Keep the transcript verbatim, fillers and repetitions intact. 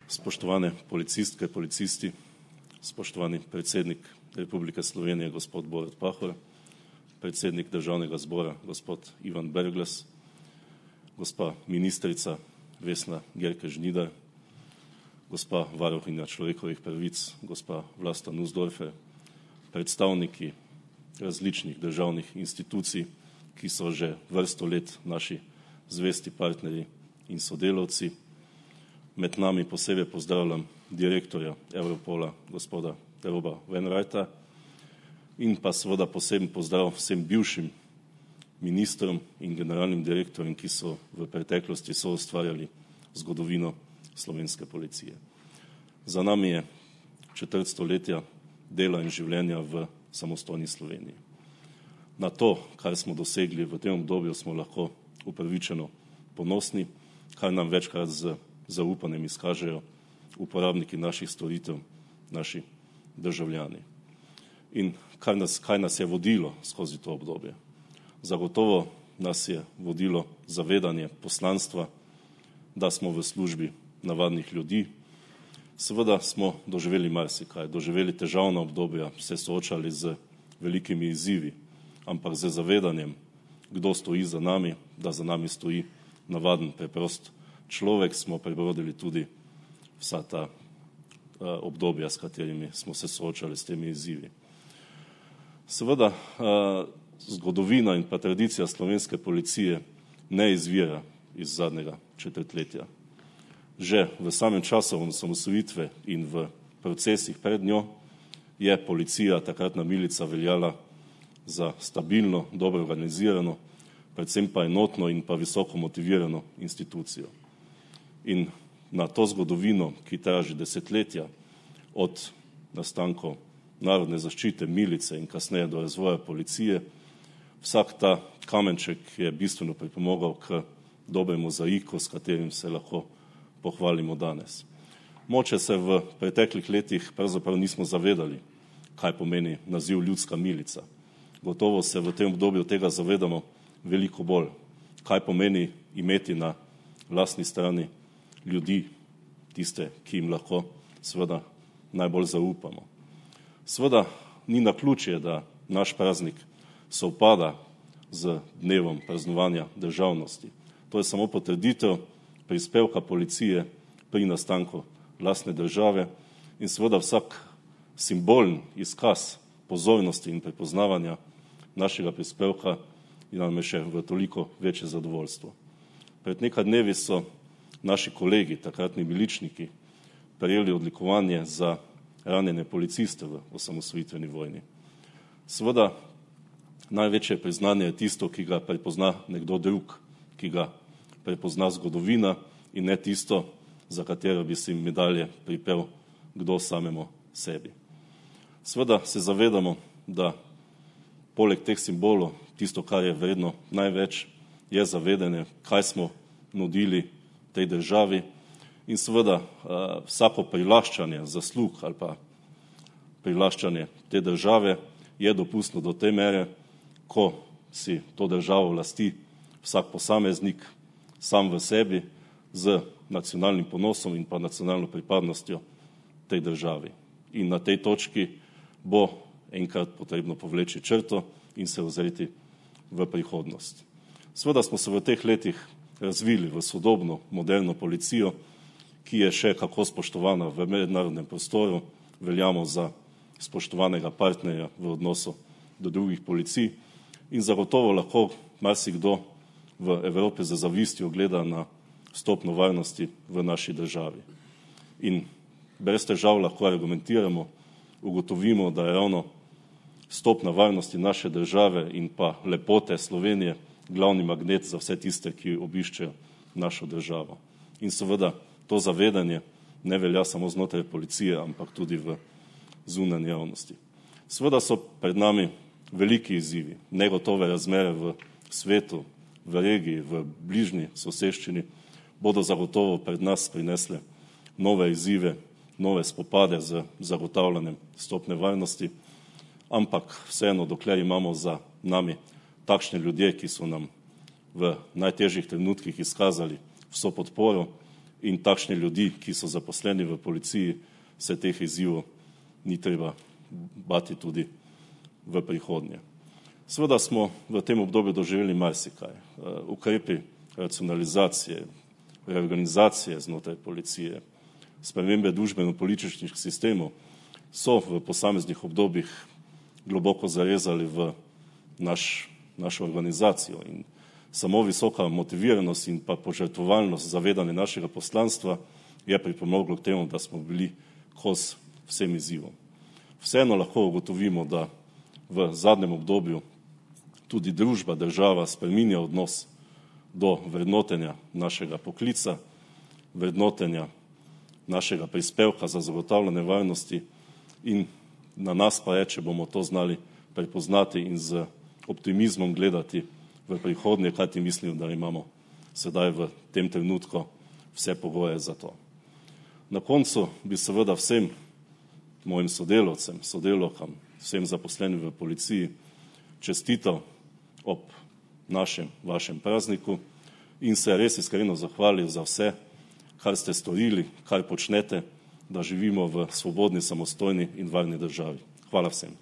Spoštovane policistke, policisti, spoštovani predsednik Republike Slovenije, gospod Borut Pahor, predsednik Državnega zbora, gospod Ivan Brglez, gospa ministrica Vesna Györkös-Žnidar, gospa varuhinja človekovih pravic, gospa Vlasta Nussdorfer, predstavniki različnih državnih institucij, ki so že vrsto let naši zvesti partnerji in sodelavci. Med nami posebej pozdravljam direktorja Europola, gospoda Roba Wainwrighta, in pa seveda poseben pozdrav vsem bivšim ministrom in generalnim direktorjem, ki so v preteklosti soustvarjali zgodovino slovenske policije. Za nami je četrt stoletja dela in življenja v samostojni Sloveniji. Na to, kar smo dosegli v tem obdobju, smo lahko upravičeno ponosni, kar nam večkrat z zaupanjem izkažejo uporabniki naših storitev, naši državljani. In kaj nas, kaj nas je vodilo skozi to obdobje? Zagotovo nas je vodilo zavedanje poslanstva, da smo v službi navadnih ljudi. Seveda smo doživeli marsikaj, doživeli težavna obdobja, se soočali z velikimi izzivi, ampak z zavedanjem, kdo stoji za nami, da za nami stoji navaden, preprost človek, smo prebrodili tudi vsa ta uh, obdobja, s katerimi smo se soočali s temi izzivi. Seveda, uh, zgodovina in pa tradicija slovenske policije ne izvira iz zadnjega četrtletja. Že v samem času osamosvojitve in v procesih pred njo je policija, takratna milica, veljala za stabilno, dobro organizirano, predvsem pa enotno in pa visoko motivirano institucijo. In na to zgodovino, ki traja že desetletja, od nastankov narodne zaščite, milice in kasneje do razvoja policije, vsak ta kamenček je bistveno pripomogel k dobremu mozaiku, s katerim se lahko pohvalimo danes. Moče se v preteklih letih pravzaprav nismo zavedali, kaj pomeni naziv ljudska milica. Gotovo se v tem obdobju tega zavedamo veliko bolj, kaj pomeni imeti na lastni strani ljudi, tiste, ki jim lahko seveda najbolj zaupamo. Seveda ni naključje, da naš praznik sovpada z dnevom praznovanja državnosti. To je samo potrditev prispevka policije pri nastanku lastne države in seveda vsak simbolen izkaz pozornosti in prepoznavanja našega prispevka in nam je še v toliko večje zadovoljstvo. Pred nekaj dnevi so naši kolegi, takratni miličniki, prejeli odlikovanje za ranjene policiste v osamosvojitveni vojni. Seveda, največje priznanje je tisto, ki ga prepozna nekdo drug, ki ga prepozna zgodovina in ne tisto, za katero bi si medalje pripel kdo samemu sebi. Seveda se zavedamo, da poleg teh simbolov, tisto, kar je vredno največ, je zavedanje, kaj smo nudili tej državi in seveda vsako prilaščanje zaslug ali pa prilaščanje te države je dopustno do te mere, ko si to državo lasti vsak posameznik sam v sebi z nacionalnim ponosom in pa nacionalno pripadnostjo tej državi. In na tej točki bo enkrat potrebno povleči črto in se ozreti v prihodnost. Seveda smo se v teh letih razvili v sodobno, moderno policijo, ki je še kako spoštovana v mednarodnem prostoru, veljamo za spoštovanega partnerja v odnosu do drugih policij in zagotovo lahko marsikdo v Evropi za zavistjo gleda na stopnjo varnosti v naši državi. In brez težav lahko argumentiramo, ugotovimo, da je ravno stopnja varnosti naše države in pa lepote Slovenije glavni magnet za vse tiste, ki obiščejo našo državo. In seveda to zavedanje ne velja samo znotraj policije, ampak tudi v zunanji javnosti. Seveda so pred nami veliki izzivi, negotove razmere v svetu, v regiji, v bližnji soseščini, bodo zagotovo pred nas prinesle nove izzive, nove spopade z zagotavljanjem stopne varnosti, ampak vseeno, dokler imamo za nami takšne ljudje, ki so nam v najtežjih trenutkih izkazali vso podporo, in takšni ljudi, ki so zaposleni v policiji, se teh izzivov ni treba bati tudi v prihodnje. Seveda smo v tem obdobju doživeli marsikaj. Ukrepi racionalizacije, reorganizacije znotraj policije, spremembe družbeno-političnih sistemov so v posameznih obdobjih globoko zarezali v naš, našo organizacijo in samo visoka motiviranost in pa požrtvovalnost zavedanja našega poslanstva je pripomoglo k temu, da smo bili kos vsem izzivom. Vseeno lahko ugotovimo, da v zadnjem obdobju tudi družba, država spreminja odnos do vrednotenja našega poklica, vrednotenja našega prispevka za zagotavljanje varnosti in na nas pa je, če bomo to znali prepoznati in z optimizmom gledati v prihodnje, kajti mislim, da imamo sedaj v tem trenutku vse pogoje za to. Na koncu bi seveda vsem mojim sodelavcem, sodelavkam, vsem zaposlenim v policiji čestital ob našem, vašem prazniku in se res iskreno zahvalil za vse, kar ste storili, kar počnete, da živimo v svobodni, samostojni in varni državi. Hvala vsem.